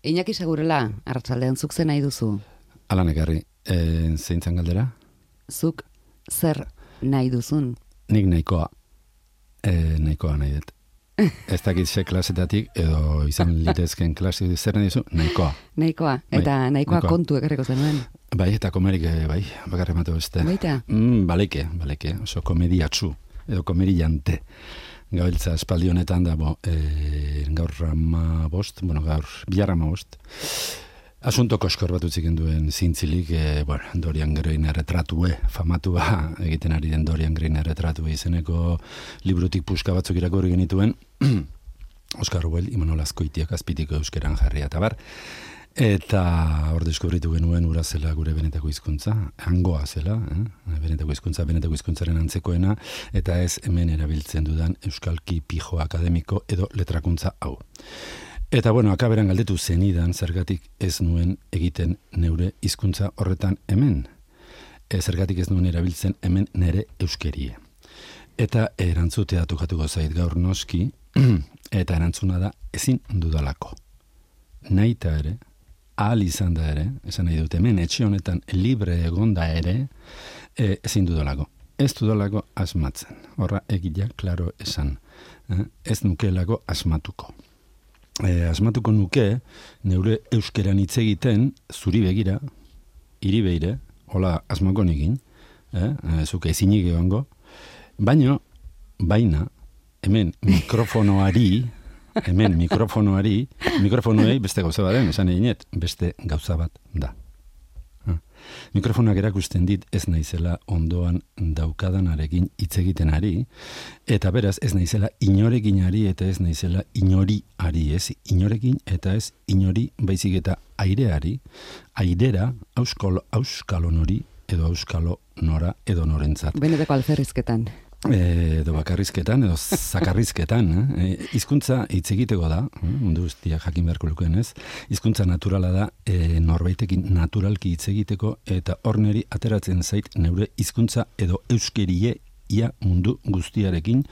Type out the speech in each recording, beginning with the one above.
Iñaki Segurela, arratsaldean zuk zen nahi duzu? Alan ekarri, zeintzan galdera? Zuk zer nahi duzun? Nik nahikoa nahi dut. Ez dakit ze klasetatik, edo izan litezken klase zer nahi duzu, nahikoa. Nahikoa, eta nahikoa kontu ekarriko zenuen. Bai, eta komerik, bai, bakarri ematu beste. Baita? Baleike, oso komediatzu, edo komediante. Gabiltza espaldi honetan da, gaur bihar 15. Asunto koskor bat utziken duen zintzilik, Dorian Grain erretratue, famatua egiten ari den Dorian Grain erretratue izeneko librutik puska batzuk irakurri genituen, Oskar Wilde, Imanol Azkoitiak azpitiko euskeran jarria eta bar, eta hor deskubritu genuen ura zela gure benetako hizkuntza, hangoa zela, benetako hizkuntzaren antzekoena, eta ez hemen erabiltzen dudan euskalki pijo akademiko edo letrakuntza hau. Eta akaberan galdetu zenidan zergatik ez nuen egiten neure hizkuntza horretan hemen. Zergatik ez nuen erabiltzen hemen nere euskerie. Eta erantzutea tokatuko zait gaur noski, eta erantzuna da ezin dudalako. Naita ere, ahal izan da ere, esan nahi dut hemen etxe honetan libre egonda ere, ezin dudalako. Ez dudalako asmatzen. Horra egila, klaro esan. Ez nukelako asmatuko. Asmatuko nuke, neure euskeran hitz egiten, zuri begira, hiri beire, hola asmako nekin, zuke ezinik egongo, baina, hemen mikrofonoei beste gauza baden, esan eginet, beste gauza bat da. Mikrofonak erakusten dit ez naizela ondoan daukadanarekin hitz egiten ari, eta beraz ez naizela inorekin ari eta ez naizela inori ari, ez inorekin eta ez inori baizik eta aireari, airera auskalo nori edo auskalo nora edo norentzat. Benetako alferrizketan. Edo bakarrizketan, edo zakarrizketan. Hizkuntza hitz egiteko da, mundu guztiak jakin beharko lukeen ez, hizkuntza naturala da, norbaitekin naturalki hitz egiteko, eta hor neri ateratzen zait neure hizkuntza edo euskerie ia mundu guztiarekin,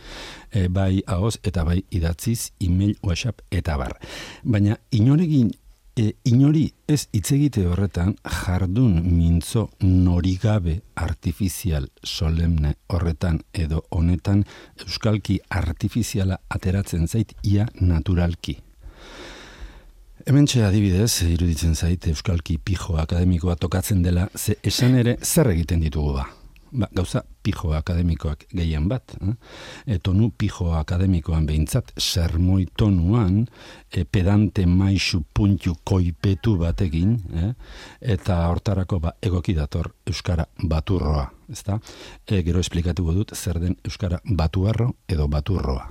bai ahoz eta bai idatziz, email, WhatsApp eta bar. Baina inori ez hitz egite horretan jardun mintzo norigabe artifizial solemne horretan edo honetan euskalki artifiziala ateratzen zait ia naturalki. Hementxe adibidez, iruditzen zait euskalki pijo akademikoa tokatzen dela, ze esan ere zer egiten ditugu ba. Gauza pijo akademikoak gehien bat, tonu pijo akademikoan behintzat, sermoi tonuan, pedante maisu puntu koipetu batekin, eta hortarako egoki dator euskara baturroa, ezta? Gero esplikatuko dut zer den euskara batuarro edo baturroa.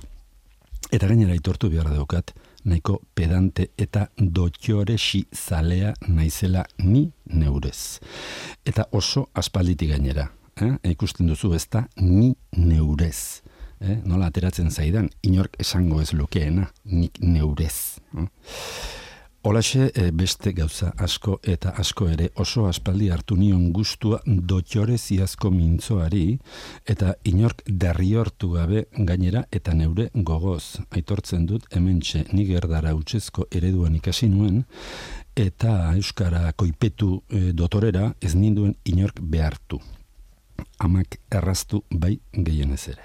Eta gainera aitortu behar daukat, nahiko pedante eta dotxoresi zalea naizela ni neurez. Eta oso aspalditik gainera. Ikusten duzu ez da ni neurez. Nola ateratzen zaidan, inork esango ez lukeena, nik neurez. Holaxe beste gauza asko eta asko ere oso aspaldi hartu nion gustua dotxoreziazko mintzoari eta inork derriortu gabe gainera eta neure gogoz. Aitortzen dut hementxe nik erdara utzezko ereduan ikasi nuen eta euskara koipetu dotorera ez ninduen inork behartu. Amak erraztu bai gehienez ere.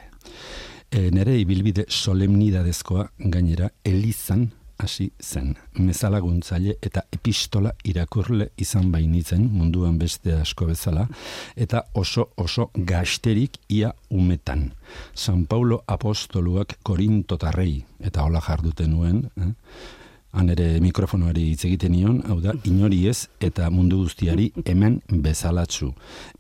Nere ibilbide solemnidadezkoa gainera elizan hasi zen. Mezalaguntzaile eta epistola irakurle izan bainitzen munduan beste asko bezala, eta oso gazterik ia umetan. San Paulo apostoluak korintotarrei, eta hola jarduten nuen, han ere mikrofonoari hitz egiten nion, hau da, inori ez eta mundu guztiari hemen bezalatzu.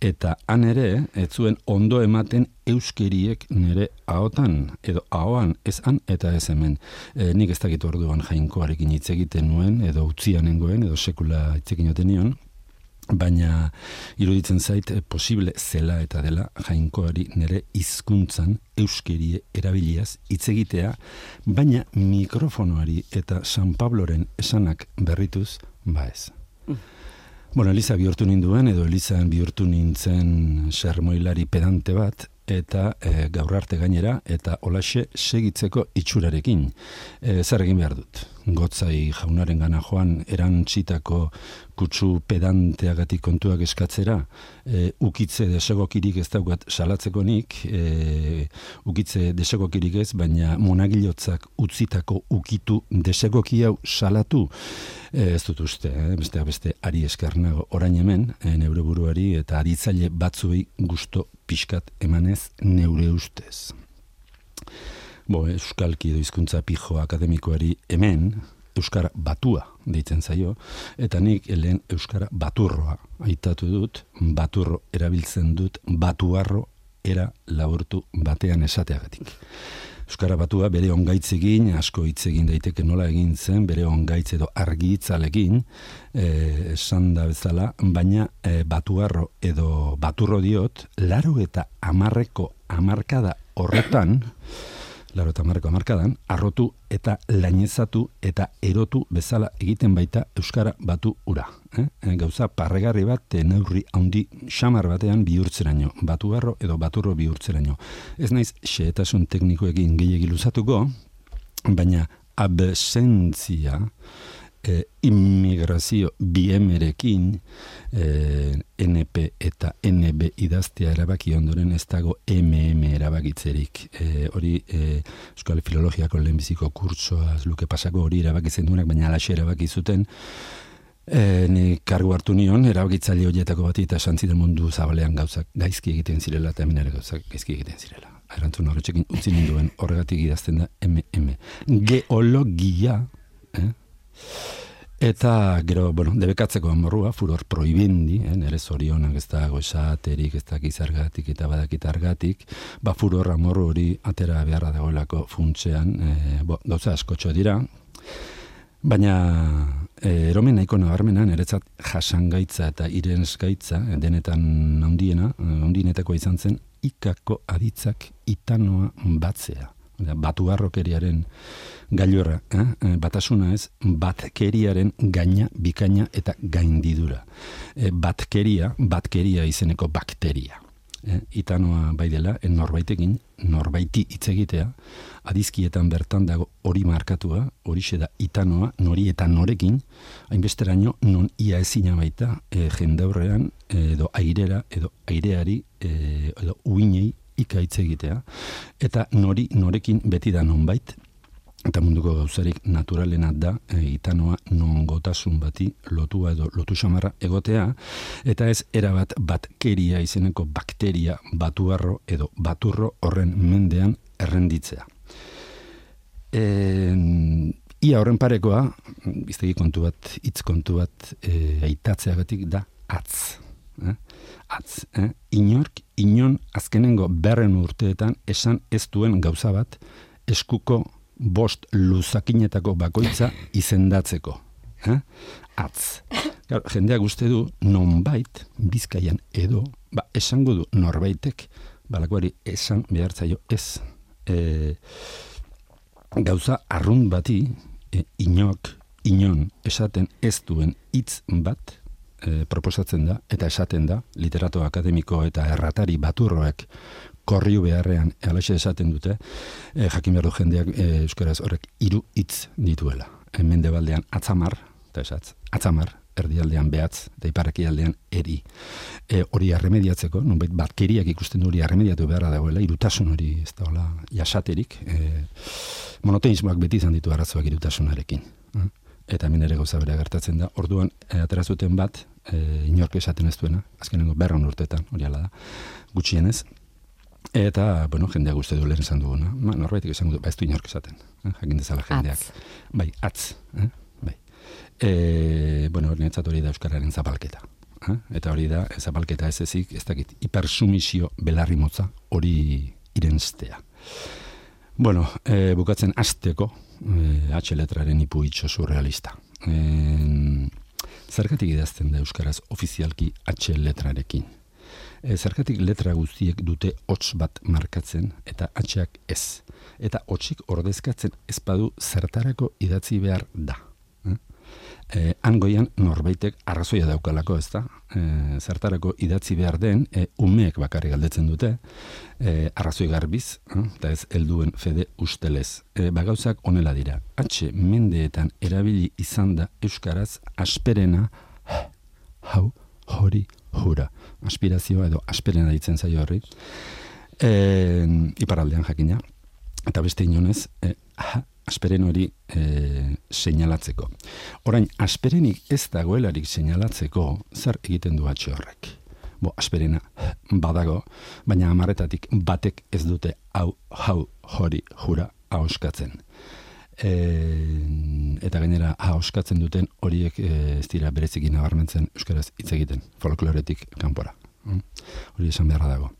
Eta han ere, ez zuen ondo ematen euskeriek nire ahotan, edo ahoan ez han eta ez hemen. Nik ez dakit orduan jainkoarekin hitz egiten nuen, edo utzianengoen, edo sekula hitz egin joten nion, baina iruditzen zait posible zela eta dela jainkoari nire hizkuntzan euskerie erabiliaz hitz egitea, baina mikrofonoari eta San Pabloren esanak berrituz, ez. Eliza bihurtu ninduen, edo Elizan bihurtu nintzen sermoilari pedante bat, eta gaur arte gainera, eta holaxe segitzeko itxurarekin. Zer egin behar dut? Gotzai jaunaren gana joan erantzitako kutsu pedanteagatik kontuak eskatzera, ukitze desegokirik ez daukat salatzeko nik, ukitze desegokirik ez, baina monagilotzak utzitako ukitu desegoki hau salatu, ez dut uste, beste ari eskernago orain hemen, neure buruari eta aritzaile batzuei gusto pixkat emanez neure ustez. Euskalki edo hizkuntza pijo akademikoari hemen euskara batua deitzen zaio, eta nik lehen euskara baturroa aitatu dut, baturro erabiltzen dut, batuarro era laburtu batean esateagatik. Euskara batua bere ongaitzekin, asko hitz egin daiteke nola egin zen, bere ongaitz edo argi hitzalekin, esan da bezala, baina batuarro edo baturro diot, 80ko hamarkada horretan, 80ko hamarkadan, arrotu eta lainezatu eta erotu bezala egiten baita euskara batu ura. Gauza parregarri bat neurri handi xamar batean bihurtzeraino, batuarro edo baturro bihurtzeraino. Ez naiz xehetasun teknikoekin gehiegi luzatuko, baina absentzia, immigrazio biemerekin, NP eta NB idaztea erabaki ondoren ez dago MM erabakitzerik. Hori Euskal Filologiako lehenbiziko kurtsoa luke pasako hori erabakitzen duenak, baina alaxe erabaki zuten. Ni kargu hartu nion, erabakitzaile horietako bati eta esan ziren mundu zabalean gauzak gaizki egiten zirela eta hemen ere gauzak gaizki egiten zirela. Erantzun horretxekin utzi ninduen, horregatik idazten da MM. Geologia, eta gero, debekatzeko amorrua, furor proibindi, nire zorionak ez dago esaterik, ez dakiz argatik eta badakit argatik, furor amorru hori atera beharra dagoelako funtsean, gauza askotxo dira, baina eromen nahiko nabarmena, niretzat jasangaitza eta irensgaitza, denetan handienetako izan zen, ikako aditzak itanoa batzea. Batuarrokeriaren gailurra, batasuna ez, batkeriaren gaina, bikaina eta gaindidura. Batkeria izeneko bakteria. Itanoa bai dela, norbaitekin, norbaiti hitz egitea, adizkietan bertan dago hori markatua, horixe da itanoa, nori eta norekin, hainbesteraino non ia ezina baita jendaurrean edo airera edo aireari edo uinei ikaitz egitea, eta norekin beti da nonbait, eta munduko gauzarik naturalena da itanoa nongotasun bati lotua edo lotu xamarra egotea, eta ez erabat batkeria izeneko bakteria batuarro edo baturro horren mendean errenditzea. Ia horren parekoa, biztegi kontu bat, hitz kontu bat aitatzeagatik da atz. Inon azkenengo 100 urteetan esan ez duen gauza bat eskuko 5 luzakinetako bakoitza izendatzeko. Atz. Jendeak uste du nonbait Bizkaian edo esango du norbaitek balakoari esan behartzaio ez. Gauza arrunt bati inon esaten ez duen hitz bat proposatzen da, eta esaten da, literato akademiko eta erratari baturroek korriu beharrean alaxe esaten dute, jakin behar du jendeak euskaraz horrek 3 hitz dituela. Mendebaldean atzamar, eta esatz, atzamar, erdialdean behatz, eta iparrekialdean eri. Hori arremediatzeko, nonbait batkeriak ikusten hori arremediatu beharra dagoela, irutasun hori ez da hola jasaterik, monoteismoak beti izan ditu arazoak irutasunarekin. Eta hemen ere gauza bera gertatzen da. Orduan, aterazuten bat, inork esaten ez duena, azkenengo 100 urteetan, hori ala da, gutxienez. Eta, jendeak uste du lehen esan duguna. Norbaitik esan du, ez du inork esaten. Jakin dezala jendeak. Bai, atz. Bai. Niretzat hori da euskararen zapalketa. Eta hori da, zapalketa ez ezik, ez dakit, hipersumisio belarri motza hori irenstea. Bukatzen hasteko, H letraren ipuitxo surrealista. Zergatik idazten da euskaraz ofizialki H letrarekin? Zergatik letra guztiek dute hots bat markatzen eta H-ak ez. Eta hotsik ordezkatzen ez badu zertarako idatzi behar da. Hangoian norbaitek arrazoia daukalako, ez da? Zertarako idatzi behar den, umeek bakarrik galdetzen dute, arrazoi garbiz, eta ez helduen fede ustelez. Gauzak honela dira. Mendeetan erabili izan da euskaraz asperena, hau, hori, hura. Aspirazioa edo asperena ditzen zaio horri. Iparraldean jakina. Eta beste inonez, asperen hori seinalatzeko. Orain, asperenik ez dagoelarik seinalatzeko, zer egiten du horrek? Asperena badago, baina 10-etatik batek ez dute hau, hori, hura ahoskatzen. Eta gainera ahoskatzen duten horiek ez dira bereziki nabarmentzen euskaraz hitz egiten, folkloretik kanpora. Hori esan beharra dago.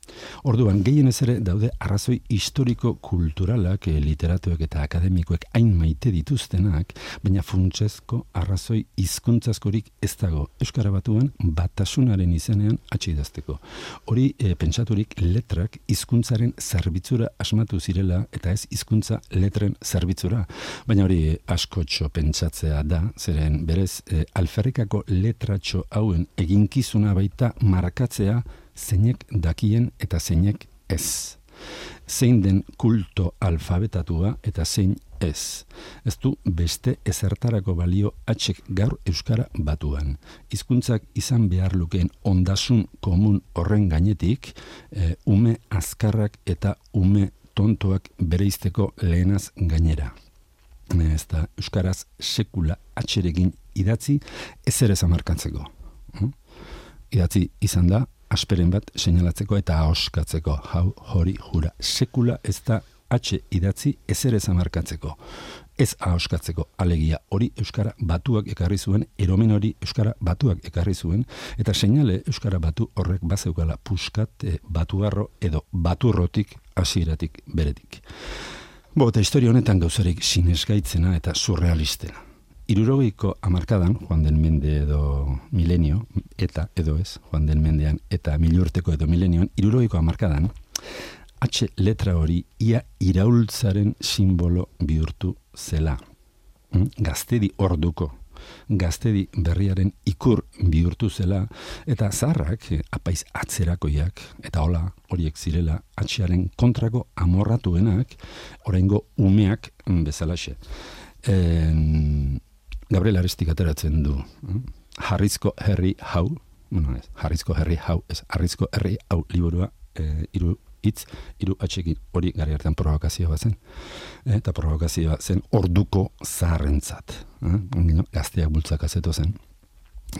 Orduan, gehienez ere daude arrazoi historiko-kulturalak literatuek eta akademikoek hain maite dituztenak, baina funtsezko arrazoi hizkuntzazkorik ez dago Euskara Batuan batasunaren izenean idazteko. Hori pentsaturik letrak hizkuntzaren zerbitzura asmatu zirela eta ez hizkuntza letren zerbitzura. Baina hori askotxo pentsatzea da, zeren berez alferrikako letratxo hauen eginkizuna baita markatzea zeinek dakien eta zeinek ez. Zein den kulto alfabetatua eta zein ez. Ez du beste ezertarako balio gaur Euskara Batuan. Hizkuntzak izan behar lukeen ondasun komun horren gainetik, ume azkarrak eta ume tontoak bereizteko lehenaz gainera. Ez da Euskaraz sekula atxerekin idatzi ezer ez amarkatzeko. Idatzi izan da asperen bat seinalatzeko eta ahoskatzeko, hau, hori, hura. Sekula ez da idatzi ezer ez amarkatzeko, ez ahoskatzeko. Alegia hori Euskara Batuak ekarri zuen, eromen hori Euskara Batuak ekarri zuen, eta seinale Euskara Batu horrek bazeukala puskat batuarro edo baturrotik hasieratik beretik. Eta historia honetan gauzarik sinesgaitzena eta surrealistena. 60ko hamarkadan, Joan den Mende edo milenio, eta edo ez, Joan den Mendean eta milurteko edo milenioan, 60ko hamarkadan, letra hori ia iraultzaren simbolo bihurtu zela. Gaztedi orduko, gaztedi berriaren ikur bihurtu zela, eta zaharrak, apaiz atzerakoiak, eta hola horiek zirela, H-aren kontrako amorratuenak, oraingo umeak bezalaxe. Gabriel Arestik ateratzen du. Harrizko herri hau, Harrizko herri hau, ez, Harrizko herri hau liburua, hiru atxekin hori gari hartan provokazioa zen. Eta provokazioa zen orduko zaharrentzat. Gazteak bultzakazeto zen.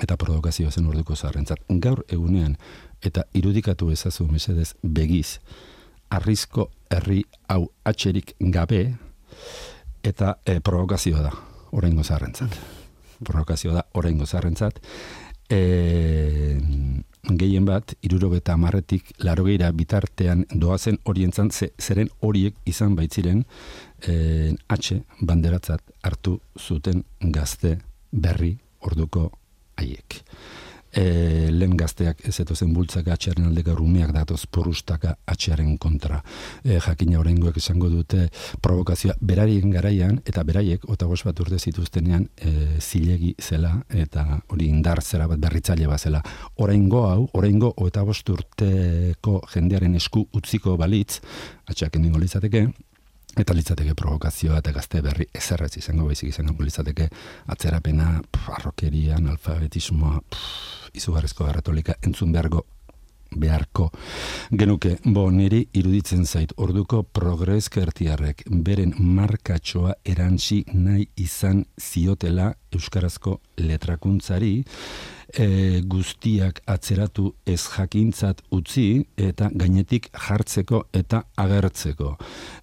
Eta provokazioa zen orduko zaharrentzat. Gaur egunean, eta irudikatu ezazu mesedez begiz, Harrizko herri hau atxerik gabe, eta provokazioa da. Oraingo zaharrentzat. Provokazioa da oraingo zaharrentzat. Gehien bat, 70-tik 80 bitartean doazen horientzat, zeren horiek izan baitziren banderatzat hartu zuten gazte berri orduko haiek. Lehen gazteak ez etozen bultzaka H-aren aldeka rumeak datoz porrustaka H-aren kontra. Jakina oraingoek esango dute provokazioa berarien garaian, eta beraiek 25 bat urte zituztenean zilegi zela, eta hori indar zera bat berritzaile bat zela. Oraingo 25 urteko jendearen esku utziko balitz, H-ak endingo litzateke, eta litzateke provokazioa eta gazte berri ezerrez izango baizik izango litzateke atzerapena, arrokeria, analfabetismoa, izugarrizko garratolika entzun beharko genuke. Niri iruditzen zait orduko progreskertiarrek beren markatxoa erantzi nahi izan ziotela euskarazko letrakuntzari, guztiak atzeratu ez jakintzat utzi eta gainetik jartzeko eta agertzeko.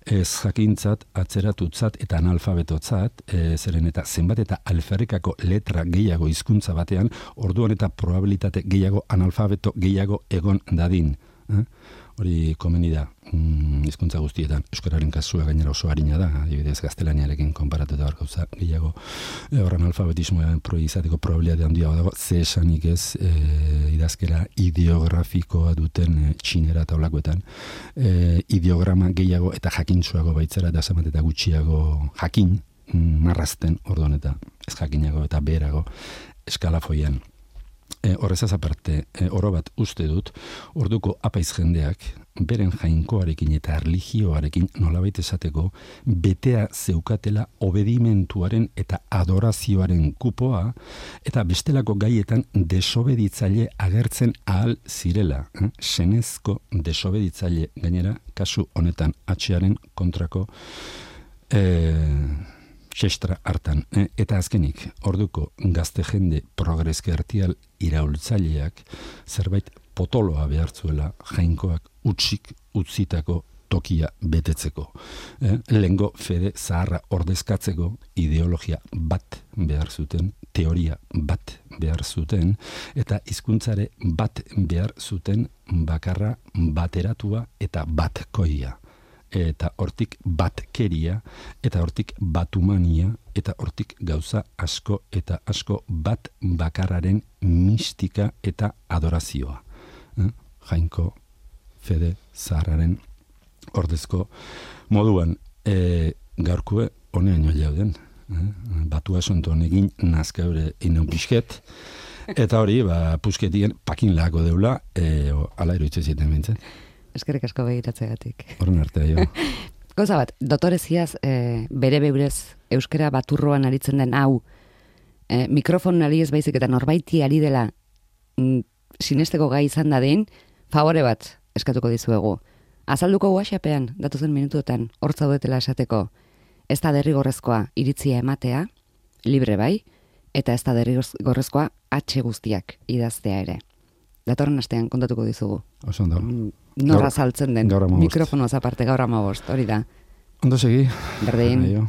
Ez jakintzat atzeratutzat eta analfabetotzat, zeren eta zenbat eta alferrikako letra gehiago hizkuntza batean, orduan eta probabilitate gehiago analfabeto gehiago egon dadin. Hori komeni da hizkuntza guztietan. Euskararen kasua gainera oso harina da, adibidez gaztelaniarekin konparatuta hor gauza gehiago horren alfabetismoa izateko probabilitate handia dago, ze esanik ez idazkera ideografikoa duten txinera eta olakoetan ideograma gehiago eta jakintsuago baitzera eta zamat eta gutxiago jakin marrazten ordon eta ez jakinago eta beherago eskalafoian. Horrezaz aparte, oro bat uste dut, orduko apaiz jendeak, beren jainkoarekin eta erlijioarekin nolabait esateko, betea zeukatela obedimentuaren eta adorazioaren kupoa, eta bestelako gaietan desobeditzaile agertzen ahal zirela. Senezko desobeditzaile gainera, kasu honetan atxearen kontrako xestra hartan. Eta azkenik, orduko gazte jende progreskertial iraultzaileak zerbait potoloa behartzuela jainkoak utzitako tokia betetzeko. Lehengo fede zaharra ordezkatzeko ideologia bat behar zuten, teoria bat behar zuten, eta hizkuntzare bat behar zuten bakarra bateratua eta batkoia. Eta hortik batkeria, eta hortik batumania, eta hortik gauza asko eta asko bat bakarraren mistika eta adorazioa. Jainko fede zaharraren ordezko moduan gaurkue honean jauden. Batua sonton egin nazkaure inon pixket, eta hori, pusketien pakin lako deula, ala iruditzen ziten bintzen. Eskerrik asko begiratzegatik. Horren arte, jo. Gauza bat, dotoreziaz, bere beurez euskara baturroan aritzen den hau, mikrofon ari ez baizik eta norbaiti ari dela sinesteko gai izan dadin, favore bat eskatuko dizuegu. Azalduko WhatsAppean, datuzen minutuetan, hor zaudetela esateko, ez da derrigorrezkoa iritzia ematea, libre bai, eta ez da derrigorrezkoa atxe guztiak idaztea ere. Datorren astean kontatuko dizugu. Oso ondo. Norra saltzen den. Mikrofonoaz aparte gaur 15, hori da. Ondo segi. Berdin. Aio.